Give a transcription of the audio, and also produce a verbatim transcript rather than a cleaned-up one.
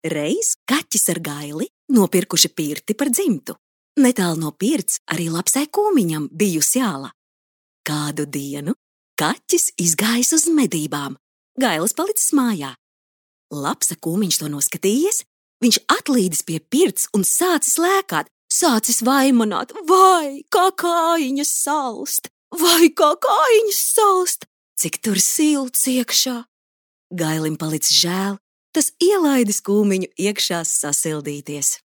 Reiz kaķis ar Gaili nopirkuši pirti par dzimtu. Netālu no pirts arī lapsai Kūmiņam bijusi āla. Kādu dienu kaķis izgājis uz medībām, Gailis palicis mājā. Lapsa Kūmiņš to noskatījies, viņš atlīdis pie pirts un sācis lēkāt, sācis vaimanāt, vai kā kājiņas salst, vai kā kājiņas salst, cik tur silts iekšā. Gailim palicis žēl, tas ielaidis Kūmiņu iekšā sasildīties.